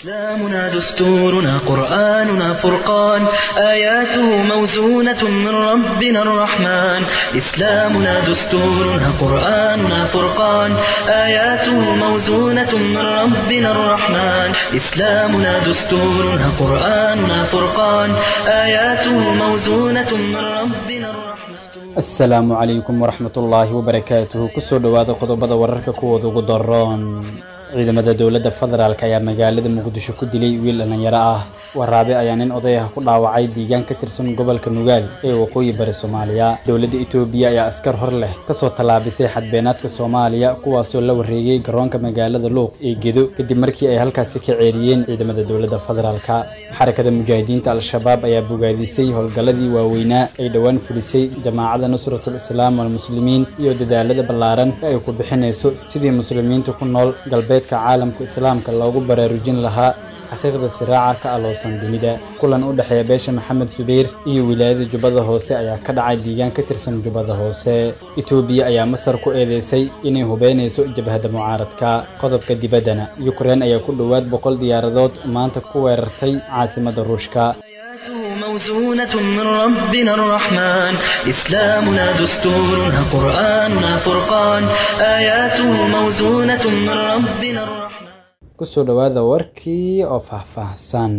إسلامنا دستورنا قرآننا فرقان، آياته موزونة من ربنا الرحمن. إسلامنا دستورنا قرآننا فرقان، آياته موزونة من ربنا الرحمن. إسلامنا دستورنا قرآننا فرقان، آياته موزونة من ربنا الرحمن. Asalaamu calaykum waraxmatullaahi wabarakaatuhu. Kusoo dhowaada qodobada wararka kuwooda ugu daroon. Ciidamada dowladda federaalk ayaa magaalada Muqdisho ku dilay wiil dhallinyaro ah. Waraabe ayaa nin oday ah ku dhaawacay deegaan ka tirsan gobolka Nugaal ee waqooyi bari Soomaaliya. Dowladda Itoobiya ayaa askar hor leh kasoo tallaabisay xadbeenaadka Soomaaliya, kuwaasoo la wareegay garoonka magaalada Luuq ee Gedo kadib markii ay halkaasi ka ceeriyeen ciidamada dowladda federaalka. Xarakada Mujaahidiinta Al-Shabaab ayaa bogaadisay howlgalladii waaweynaa ay dhowaan fulisay Jamaacada Nusratul Islaam walMuslimiin iyo dadaalada ballaaran ee ay ku bixinayso sidii muslimiinta ku nool galbeedka caalamka islaamka loogu baraarujin lahaa xaqiiqda siraaca ka aloosan dunida. Kulan u dhexeeya beesha Maxamed Subayr iyo wilaayada Jubbada Hoose ayaa ka dhacay deegaan ka tirsan Jubbada Hoose. Itoobiya ayaa Masar ku eedeysay inay hubeynayso jabhadda mucaaradka. Qodobka dibaddana, Yukrain ayaa ku dhowaad 100 diyaaradood maanta ku weerartay caasimadda Ruushka. آياته موزونة من ربنا الرحمن، إسلامنا دستورنا قرآننا فرقان، آياته موزونة من ربنا الرحمن. Kusoo dhowaada warkii oo faahfaahsan.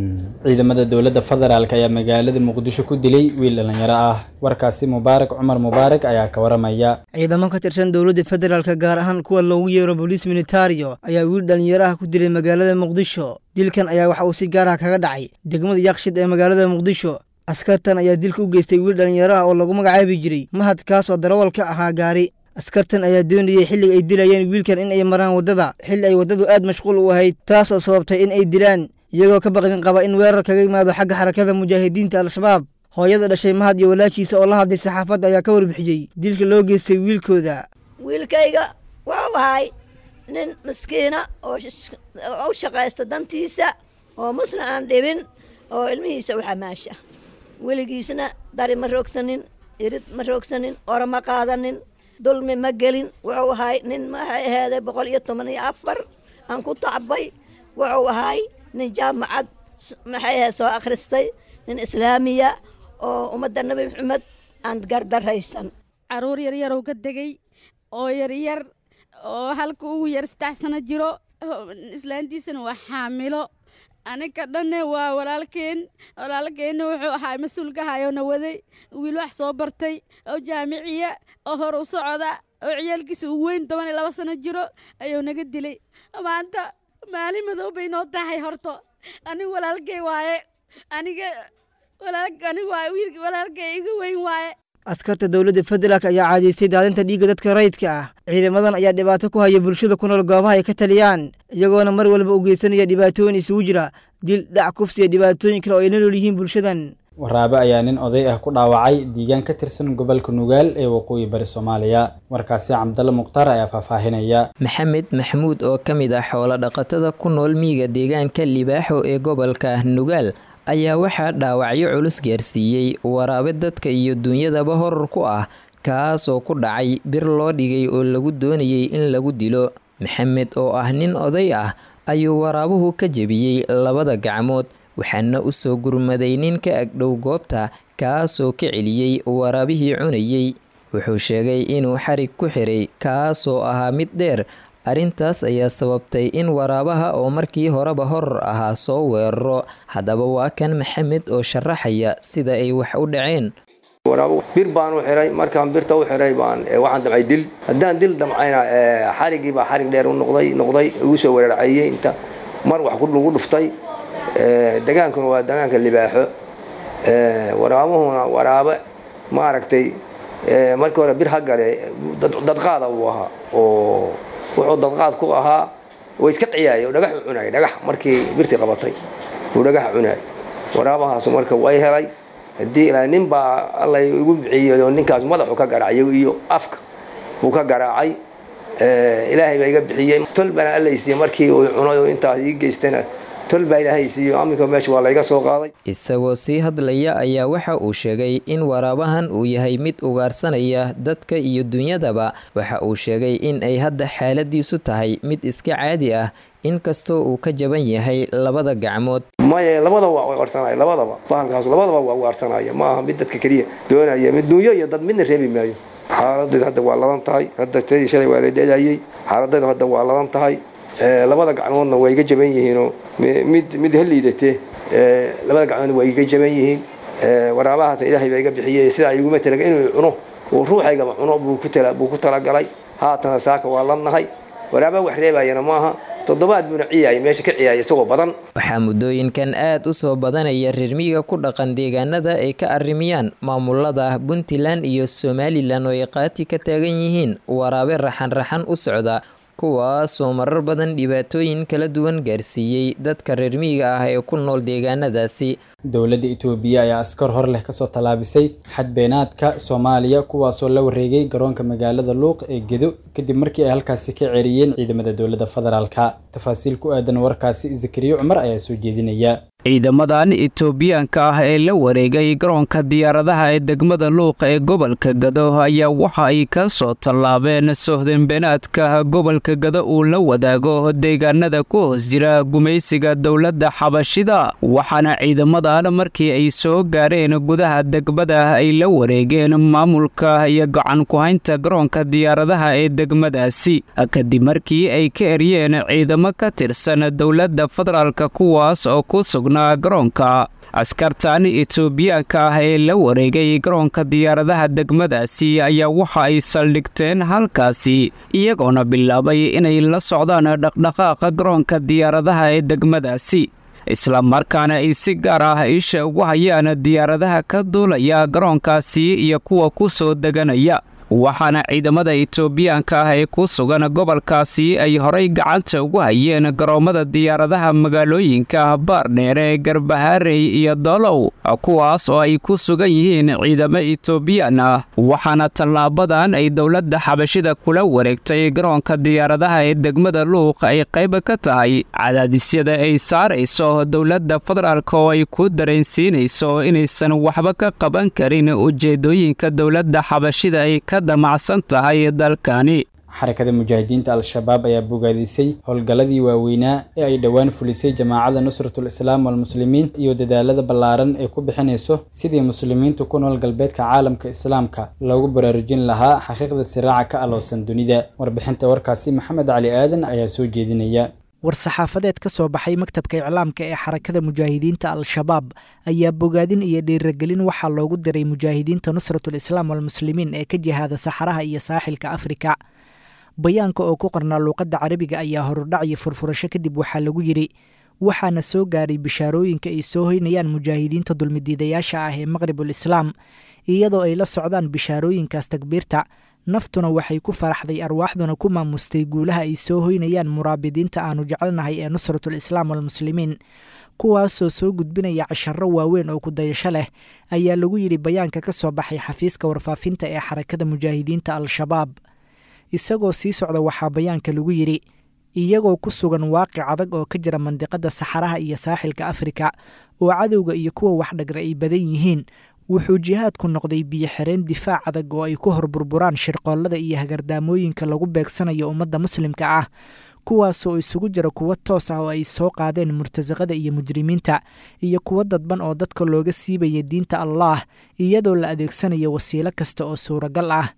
Ciidamada dowladda federaalk ayaa magaalada Muqdisho ku dilay wiil dhallinyaro ah. Warkaasi Mubaarak Cumar Mubaarak ayaa ka waramaya. Ciidamo ka tirsan dowladda federaalka, gaar ahaan kuwa loogu yeero boliis militario, ayaa wiil dhallinyaro ah ku dilay magaalada Muqdisho. Dilkan ayaa waxa uu si gaar ah kaga dhacay degmada Yaaqshid ee magaalada Muqdisho. Askartan ayaa dilka u geystay wiil dhallinyaro ah oo lagu magacaabi jiray Mahad, kaas oo darawal ka ahaa gaari. Askartan ayaa doonayey xilliga ay dilayeen wiilkan in ay maraan waddada xilli ay waddadu aad mashquul u ahayd, taas oo sababtay in ay dilaan iyagoo ka baqdin qaba in weerar kaga yimaado xagga Xarakada Mujaahidiinta Al-Shabaab. Hooyada dhashay Mahad iyo walaashiisa oo la hadlay saxaafadda ayaa ka warbixiyey dilka loo geystay wiilkooda. Wiilkayga wuxuu ahay nin miskiina oo u shaqaysta dantiisa, oo musna aan dhibin, oo ilmihiisa u xamaasha. Weligiisna dari ma roogsanin, irid ma roogsanin, ora ma qaadanin, dulmi ma gelin. Wuxuu ahay nin maxay aheeday 114 aan ku tacbay. Wuxuu ahay nin jaamacad maxay ahayd soo akhristay, nin islaamiya oo ummadda Nebi Maxamed aan gardaraysan. Caruur yaryarow ka degay oo yaryar oo halka ugu yar 3 sano jiro, islaantiisana waa xaamilo. Aniga dhanne waa walaalkeen. Walaalkeenna wuxuu ahaa mas-uulka hayona waday, wiil wax soo bartay oo jaamiciya oo hor u socda oo ciyaalkiisa uu weyn 12 sano jiro ayuu naga dilay. Maanta maalin madow bay noo tahay. Horto aniga walaalkey waaye, aniga aniga waaye wiilka walaalkey iga weyn waaye. Askarta dowladda federaalk ayaa caadaystay daadinta dhiigga dadka rayidka ah. Ciidamadan ayaa dhibaato ku haya bulshada ku nool goobaha ay ka taliyaan, iyagoona mar walba u geysanaya dhibaatooyin isugu jira dil, dhac, kufsi iyo dhibaatooyin kale oo ay la nool yihiin bulshadan. Waraabe ayaa nin oday ah ku dhaawacay deegaan ka tirsan gobolka Nugaal ee waqooyi bari Soomaaliya. Warkaasi Cabdalle Mukhtaar ayaa faahfaahinaya. Maxamed Maxamuud oo ka mid ah xoolo dhaqatada ku nool miyiga deegaanka Libaaxo ee gobolka Nugaal ayaa waxaa dhaawacyo culus gaarsiiyey waraabe dadka iyo dunyadaba horor ku ah, kaasoo ku dhacay bir loo dhigay oo lagu doonayey in lagu dilo. Maxamed oo ah nin oday ah ayuu waraabuhu ka jebiyey labada gacmood, waxaana u soo gurmaday nin ka agdhow goobta, kaasoo ka celiyey waraabihii cunayey. Wuxuu sheegay inuu xarig ku xiray, kaasoo ahaa mid dheer. Arrintaas ayaa sababtay in waraabaha oo markii horeba horor ahaa soo weeraro. Haddaba waa kan Maxamed oo sharaxaya sida ay wax u dhaceen. Waraabo bir baan u xiray. Markaan birta u xiray baan waxaan damcay dil. Haddaan dil damcayna, xarigii baa xarig dheer u noqday, igu soo weerarcayey, inta mar wax lagu dhuftay. Degaankuna waa degaanka Libaaxo. Waraabuhuna waraabe maaragtay markii hore bir ha gale dadqaada buu ahaa, oo wuxuu dadqaad ku ahaa way iska ciyaayay oo dhagax u cunayay. Dhagax markii birtii qabatay uu dhagax cunayay waraabahaas. Marka way helay haddii ilaa nin baa Alla igu bixiyey oo ninkaas madaxu ka garaacay iyo afka buu ka garaacay. Ilaahay baa iga bixiyey, tol baana Alla siiyey. Markii uu cunay oo intaas ii geystayna, tol baa Ilaahay siiyo, aminka meesha waa layga soo qaaday. Isagoo sii hadlaya ayaa waxa uu sheegay in waraabahan uu yahay mid ugaarsanaya dadka iyo dunyadaba. Waxa uu sheegay in ay hadda xaaladiisu tahay mid iska caadi ah, Inkastoo uu ka jaban yahay labada gacmood. Maya, labadaba waa ugaarsanaya, labadaba bahalkaas labadaba waa ugaarsanaya. Ma aha mid dadka keliya doonaya, mid dunyo iyo dad midna reebi maayo. Xaaladaydu hadda waa ladan tahay. Hadda tadii shalay waa la dhelayay. Xaaladaydu hadda waa ladan tahay. Labada gacmoodna waa iga jaban yihiinoo mid ha liidatee, labada gacmoodna waa iga jaban yihiin. Waraabahaasna Ilaahay baa iga bixiyey. Sidaa iguma talaga inuu cuno uu ruuxaygaba cuno buu ku talagalay. Haatana saaka waa ladnahay. Waraaba wax reebayana maaha. Toddobaad buuna ciyaaya, meesha ka ciyaaya isagoo badan. Waxaa muddooyinkan aad u soo badanaya reer miyiga ku dhaqan deegaanada ay ka arrimiyaan maamulada Puntland iyo Somalilan oo ay qaati ka taagan yihiin waraabe raxan raxan u socda, kuwaasoo marar badan dhibaatooyin kala duwan gaarsiiyey dadka reer miyiga ah ee ku nool deegaanadaasi. Dowladda Itoobiya ayaa askar hor leh kasoo tallaabisay xadbeenaadka Soomaaliya, kuwaasoo la wareegay garoonka magaalada Luuq ee Gedo kadib markii ay halkaasi ka ceeriyeen ciidamada dowladda federaalka. Tafaasiil ku aadan warkaasi Zakariya Cumar ayaa soo jeedinaya. Ciidamadan Itoobiyaanka ah ee la wareegay garoonka diyaaradaha ee degmada Luuq ee gobolka Gado ayaa waxa ay ka soo tallaabeen sohdinbeenaadka gobolka Gado uu la wadaago deegaanada ku hoos jira gumaysiga dowladda Xabashida, waxaana ciidamadan markii ay soo gaareen gudaha degmada ay la wareegeen maamulka iyo gacan ku-haynta garoonka diyaaradaha ee degmadaasi, kadib markii ay ka eryeen ciidamo ka tirsan dowladda federaalka kuwaas oo ku sugnaa garoonka. Askartan Itoobiyaanka ah ee la wareegay garoonka diyaaradaha degmadaasi ayaa waxa ay saldhigteen halkaasi, iyagoona bilaabay inay la socdaan dhaqdhaqaaqa garoonka diyaaradaha ee degmadaasi, islamarkaana ay si gaar ah isha ugu hayaan diyaaradaha ka duulaya garoonkaasi iyo kuwa ku soo deganaya. Waxaana ciidamada Itoobiyaanka ah ee ku sugan gobolkaasi ay horay gacanta ugu hayeen garoommada diyaaradaha magaalooyinka Baardheere, Garbaharey iyo Dolow, kuwaas oo ay ku sugan yihiin ciidamo Itoobiyaan ah. Waxaana tallaabadan ay dowladda Xabashida kula wareegtay garoonka diyaaradaha ee degmada Luuq ay qayb ka tahay cadaadisyada ay saarayso dowladda federaalk oo ay ku dareensiinayso inaysan waxba ka qaban karin ujeedooyinka dowladda Xabashida ay ka damacsan tahay dalkani. Xarakada Mujaahidiinta Al-Shabaab ayaa bogaadisay howlgalladii waaweynaa ee ay dhowaan fulisay Jamaacada Nusratul Islaam walMuslimiin iyo dadaalada ballaaran ee ku bixinayso sidii muslimiinta ku nool galbeedka caalamka Islaamka loogu baraarujin lahaa xaqiiqda siraaca ka aloosan dunida. Warbixinta warkaasi Maxamed Cali Aadan ayaa soo jeedinaya. War-saxaafadeed ka soo baxay maktabka iclaamka ee Xarakada Mujaahidiinta Al-Shabaab ayaa bogaadin iyo dhiiragelin waxaa loogu diray mujaahidiinta Nusratul Islaam walMuslimiin ee ka jihaada saxaraha iyo saaxilka Afrika. Bayaanka oo ku qornaa luuqadda Carabiga ayaa horudhac iyo furfurasho kadib waxaa lagu yidhi: waxaana soo gaaray bishaarooyinka ay soo hoynayaan mujaahidiinta dulmidiidayaasha ah ee Maqribul Islaam, iyadoo ay la socdaan bishaarooyinkaas takbiirta, naftuna waxay ku faraxday, arwaaxduna ku maamustay guulaha ay soo hoynayaan muraabidiinta aanu jecelnahay ee Nusratul Islaam walMuslimiin, kuwaasoo soo gudbinaya casharro waaweyn oo ku dayasho leh, ayaa lagu yidhi bayaanka ka soo baxay xafiiska warfaafinta ee Xarakada Mujaahidiinta Al-Shabaab. Isagoo sii socda waxaa bayaanka lagu yidhi: iyagoo ku sugan waaqic adag oo ka jira mandiqada saxaraha iyo saaxilka Afrika oo cadowga iyo kuwa waxdhagra ay badan yihiin, wuxuu jihaadku noqday biyo-xireen difaac adag oo ay ku hor burburaan shirqoollada iyo hagardaamooyinka lagu beegsanayo ummadda muslimka ah, kuwaasoo isugu jira kuwo toos ah oo ay soo qaadeen murtasaqada iyo mujrimiinta, iyo kuwo dadban oo dadka looga siibaya diinta Allaah iyadoo la adeegsanayo wasiilo kasta oo suuragal ah.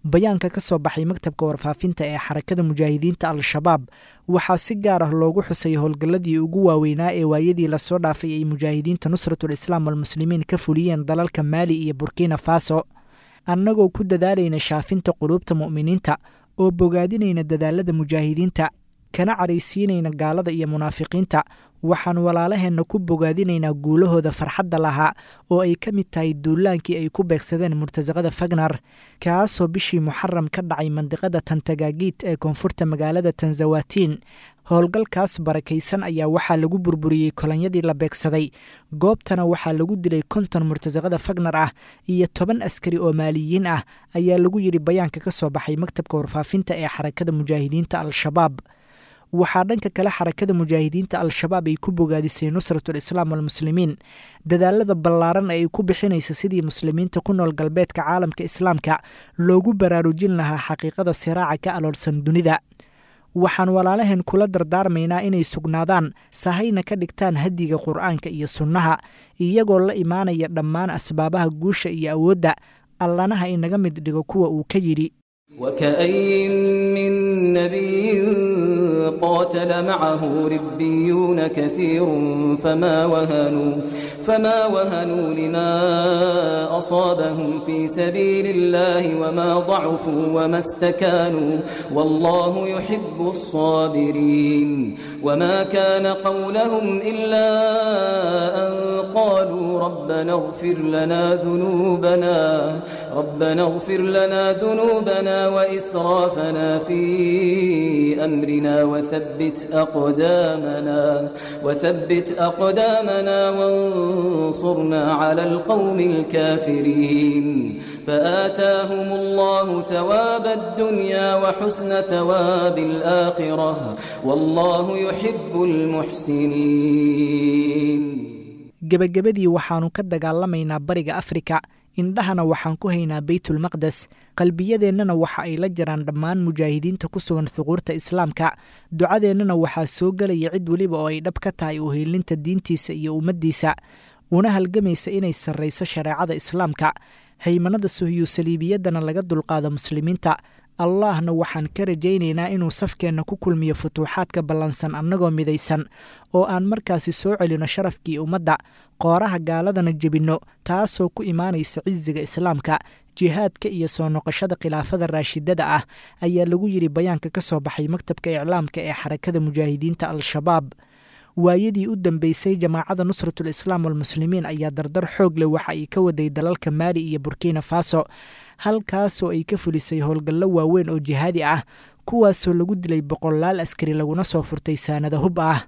Bayaanka ka soo baxay maktabka warfaafinta ee Xarakada Mujaahidiinta Al-Shabaab waxaa si gaar ah loogu xusay howlgalladii ugu waaweynaa ee waayadii lasoo dhaafay ay mujaahidiinta Nusratul Islaam walMuslimiin ka fuliyeen dalalka Maali iyo Burkina Faso. Annagoo ku dadaalayna shaafinta quluubta mu'miniinta oo bogaadinayna dadaalada mujaahidiinta, kana caraysiinayna gaalada iyo munaafiqiinta, waxaan walaalaheenna ku bogaadinaynaa guulahooda farxadda lahaa oo ay ka mid tahay duulaankii ay ku beegsadeen murtasaqada Fagnar, kaasoo bishii Muxaram ka dhacay mandiqada Tantagaagiit ee koonfurta magaalada Tanzawatiin. Howlgalkaas barakaysan ayaa waxaa lagu burburiyey kolonyadii la beegsaday, goobtana waxaa lagu dilay 50 murtasaqada Fagnar ah iyo 10 askari oo Maaliyiin ah, ayaa lagu yidhi bayaanka ka soo baxay maktabka warfaafinta ee Xarakada Mujaahidiinta Al-Shabaab. Waxaa dhanka kale Xarakada Mujaahidiinta Al-Shabaab ay ku bogaadisay Nusratul Islaam walMuslimiin dadaalada ballaaran ee ay ku bixinaysa sidii muslimiinta ku nool galbeedka caalamka Islaamka loogu baraarujin lahaa xaqiiqada siraaca ka aloolsan dunida. Waxaan walaalaheen kula dardaarmaynaa inay sugnaadaan, sahayna ka dhigtaan hadiga Qur'aanka iyo sunnaha, iyagoo la imaanaya dhammaan asbaabaha guusha iyo awoodda. Allanaha inaga mid dhigo kuwa uu ka yidhi: وكأي من نبي قاتل معه ربيون كثير فما وهنوا لما أصابهم في سبيل الله وما ضعفوا وما استكانوا والله يحب الصابرين. وما كان قولهم إلا أن قالوا ربنا اغفر لنا ذنوبنا وإسرافنا في أمرنا وثبت أقدامنا وانصرنا على القوم الكافرين. فآتاهم الله ثواب الدنيا وحسن ثواب الآخرة والله يحب المحسنين. Gebagabadii, waxaannu ka dagaalamaynaa Bariga Afrika, indhahana waxaan ku haynaa Beytulmaqdes, qalbiyadeennana waxa ay la jiraan dhammaan mujaahidiinta ku sugan thuquurta Islaamka. Ducadeennana waxaa soo gelaya cid weliba oo ay dhab ka tahay uheelinta diintiisa iyo ummaddiisa, una halgamaysa inay sarrayso shareecada Islaamka, haymanada suhyu saliibiyaddana laga dulqaado muslimiinta. Allahna waxaan ka rajaynaynaa inuu safkeenna ku kulmiyo futuuxaadka ballansan annagoo midaysan, oo aan markaasi soo celino sharafkii ummadda, qooraha gaaladana jebinno, taasoo ku imaanaysa cisiga Islaamka, jihaadka iyo soo noqoshada khilaafada raashidada ah, ayaa lagu yidhi bayaanka ka soo baxay maktabka iclaamka ee Xarakada Mujaahidiinta Al-Shabaab. Waayadii u dambeysay, Jamaacada Nusratul Islaam walMuslimiin ayaa dardar xoog leh waxa ay ka waday dalalka Maali iyo Burkina Faso, halkaasoo ay ka fulisay howlgallo waaweyn oo jihaadi ah, kuwaasoo lagu dilay boqolaal askari laguna soo furtay saanada hub ah.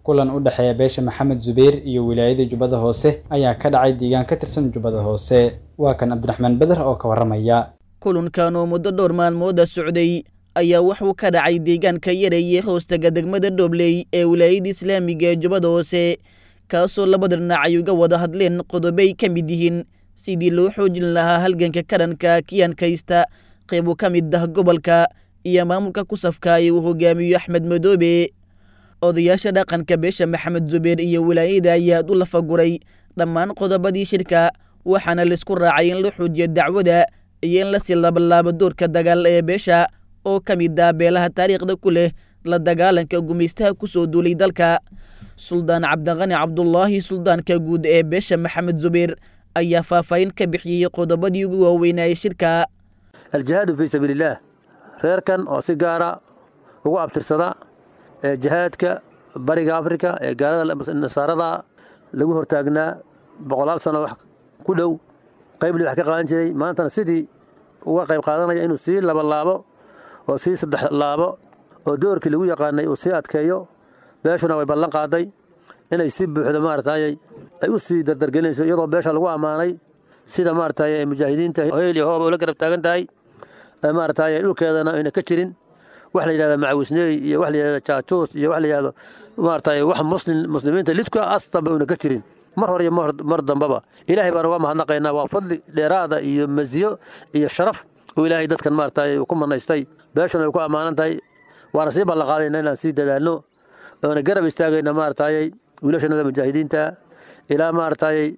Kulan u dhexeeya beesha Maxamed Zubayr iyo wilaayada Jubbada Hoose ayaa ka dhacay deegaan ka tirsan Jubbada Hoose. Waa kan Cabdiraxmaan Beder oo ka warramaya. Kulankan oo muddo dhowr maalmooda socday ayaa wuxuu ka dhacay deegaanka Yareeye, hoostaga degmada Dhobley ee wilaayada islaamiga ee Jubbada Hoose, kaasoo labada dhinac ay uga wada hadleen qodobay ka mid yihiin sidii loo xoojin lahaa halganka karanka kiyankaysta qaybo ka mid ah gobolka iyo maamulka ku safka ee uu hogaamiyo Axmed Madoobe. Odayaasha dhaqanka beesha Maxamed Zubeer iyo wilaayada ayaa u lafaguray dhammaan qodobadii shirka, waxaana laisku raacay in la xoojiyo dacwada iyo in lasii laabalaabo doorka dagaal ee beesha oo ka mid ah beelaha taariikhda ku leh la dagaalanka gumaystaha ku soo duulay dalka. Suldaan Cabdiqani Cabdulaahi, suldaanka guud ee beesha Maxamed Zubeer, ayaa faahfaahin ka bixiyey qodobadii ugu waaweynayay shirka. Aljihaadu fii sabiilillaah, reerkan oo si gaara ugu abtirsada ee jihaadka Bariga Afrika ee gaalada nasaarada lagu hortaagnaa boqolaal sano wax ku dhow, qaybli wax ka qaadan jiray, maantana sidii uga qayb qaadanaya inuu sii labalaabo oo sii saddex laabo oo doorkii lagu yaqaanay uu sii adkeeyo. Beeshuna way ballan qaaday inay si buuxda maaragtay ay u sii dardargelinayso, iyadoo beesha lagu ammaanay sida maaragtay ay mujaahidiinta heel iyo hooba ula garab taagan tahay, maaragtay dhulkeedana ayna ka jirin wax la yidhahda macawisneey iyo wax la yidhahda jaajuus iyo wax la yidhahdo maaragtay wax muslim muslimiinta lidka astanba una ka jirin mar hore iyo mar dambaba. Ilaahay baan uga mahadnaqaynaa, waa fadli dheeraada iyo masiyo iyo sharaf uu Ilaahay dadkan maaragtay uu ku manaystay. Beeshuna ay ku ammaanan tahay, waana sii ballanqaadayna inaan sii dadaalno oona garab istaagayna maaragtay wiilashanada mujaahidiinta ilaa maaragtay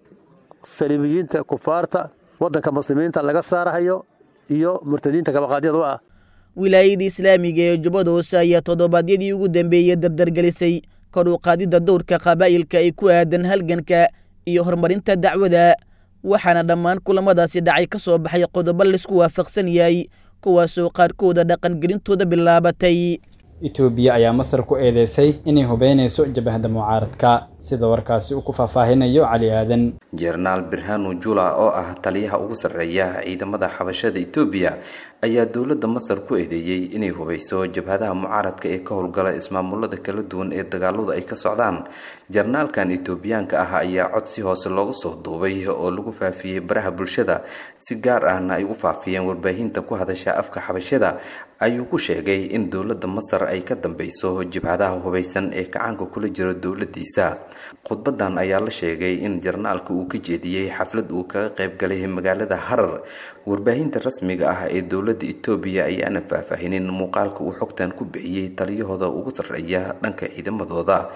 saliibiyiinta kufaarta waddanka muslimiinta laga saarahayo iyo murtadiinta kabaqaadyada u ah. Wilaayada islaamiga ee Jubbada Hoose ayaa toddobaadyadii ugu dambeeyey dardargelisay kor u qaadidda dowrka qabaa'ilka ay ku aadan halganka iyo horumarinta dacwada, waxaana dhammaan kulamadaasi dhacay ka soo baxay qodobo laisku waafaqsan yahay, kuwaasoo qaarkooda dhaqangelintooda bilaabatay. Itoobiya ayaa Masar ku eedeysay inay hubeynayso jabhadda mucaaradka, sida warkaasi uu ku faahfaahinayo Cali Aadan. Jenaraal Birhanu Jula oo ah taliyaha ugu sarreeya ciidamada xabashada Itoobiya ayaa dowladda Masar ku eedeeyey inay hubeyso jabhadaha mucaaradka ee ka howlgala ismaamulada kala duwan ee dagaaladu ay ka socdaan. Jarnaalkan Itoobiyaanka ah ayaa cod si hoose looga soo duubay oo lagu faafiyey baraha bulshada, si gaar ahna ay u faafiyeen warbaahinta ku hadasha afka xabashada, ayuu ku sheegay in dowladda Masar ay ka dambeyso jabhadaha hubeysan ee kacaanka kula jiro dowladiisa. Khudbadan ayaa la sheegay in jarnaalka uu ka jeediyey xaflad uu kaga qayb galay magaalada Harar. Warbaahinta rasmiga ah ee dowladda Itoobiya ayaana faahfaahinin muuqaalka uu xogtan ku bixiyey taliyahooda ugu sarreeya dhanka ciidamadooda,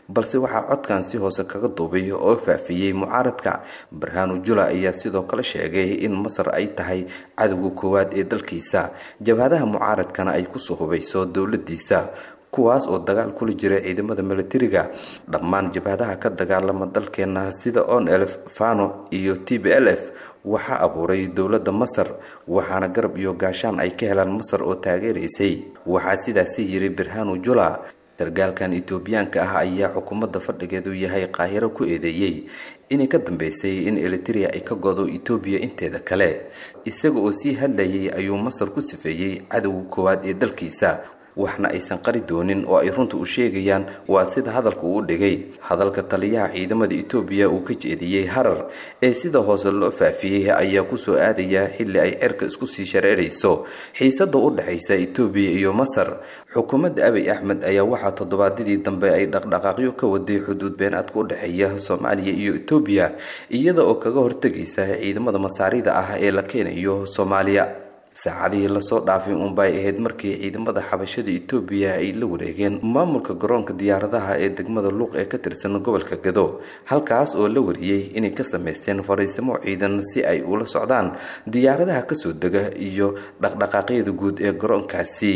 balse waxaa codkan si hoose kaga duubay oo faafiyey mucaaradka. Barhanu Jula ayaa sidoo kale sheegay in Masar ay tahay cadowga koowaad ee dalkiisa, jabhadaha mucaaradkana ay kusoo hubayso dowladiisa, kuwaas oo dagaal kula jira ciidamada milatariga. Dhammaan jabhadaha ka dagaalama dalkeena sida ONLF, Fano iyo TPLF waxaa abuuray dowladda Masar, waxaana garab iyo gaashaan ay ka helaan Masar oo taageeraysay, waxaa sidaasi yiri Birhanu Jula. Sargaalkan Itoobiyaanka ah ayaa xukuumadda fadhigeedu yahay Qaahiro ku eedeeyey inay ka dambeysay in Eliteria ay ka godo Itoobiya inteeda kale. Isaga oo sii hadlayay ayuu Masar ku sifeeyey cadowga koowaad ee dalkiisa, waxna aysan qari doonin oo ay runta u sheegayaan, waa sida hadalka uu dhigay. Hadalka taliyaha ciidamada Itoobiya uu ka jeediyey Harar ee sida hoose loo faafiyey ayaa kusoo aadaya xilli ay cirka isku sii shareerayso xiisada u dhexaysa Itoobiya iyo Masar. Xukuumadda Abiy Axmed ayaa waxaa toddobaadyadii dambe ay dhaqdhaqaaqyo ka waday xuduud beenaadka u dhexeeya Soomaaliya iyo Itoobiya, iyada oo kaga hortegaysa ciidamada masaarida ah ee la keenayo Soomaaliya. Saacadihii lasoo dhaafay unbay ahayd markii ciidamada xabashada Itoobiya ay la wareegeen maamulka garoonka diyaaradaha ee degmada Luuq ee ka tirsan gobolka Gado, halkaas oo la wariyey inay ka samaysteen fariisimo ciidan si ay ula socdaan diyaaradaha kasoo dega iyo dhaqdhaqaaqyada guud ee garoonkaasi.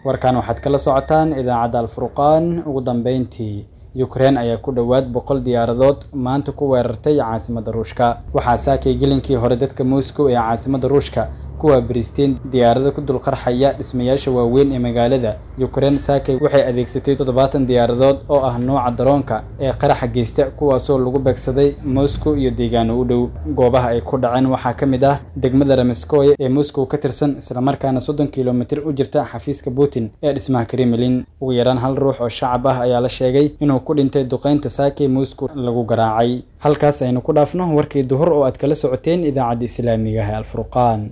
Warkan waxaad kala socotaan idaacadda Alfurqaan. Ugu dambeyntii, Ukraine ayaa ku dhowaad 100 diyaaradood maanta ku weerartay caasimadda Ruushka. Waxaa saakay gelinkii hore dadka Moscow ee caasimadda Ruushka kuwa bristeen diyaarado ku dul qarxaya dhismayaasha waaweyn ee magaalada. Ukraine saakay waxay adeegsatay 70 diyaaradood oo ah nooca daroonka ee qaraxa geysta, kuwaasoo lagu beegsaday Moscow iyo deegaano u dhow. Goobaha ay ku dhaceen waxaa ka mid ah degmada Ramiskoye ee Moscow ka tirsan, islamarkaana 30 kilomitir u jirta xafiiska Putin ee dhismaha Kremlin. Ugu yaraan hal ruux oo shacab ah ayaa la sheegay inuu ku dhintay duqeynta saakay Moscow lagu garaacay. Halkaas aynu ku dhaafno warkii duhur oo aad kala socoteen idaacadda islaamiga ah ee Alfurqaan.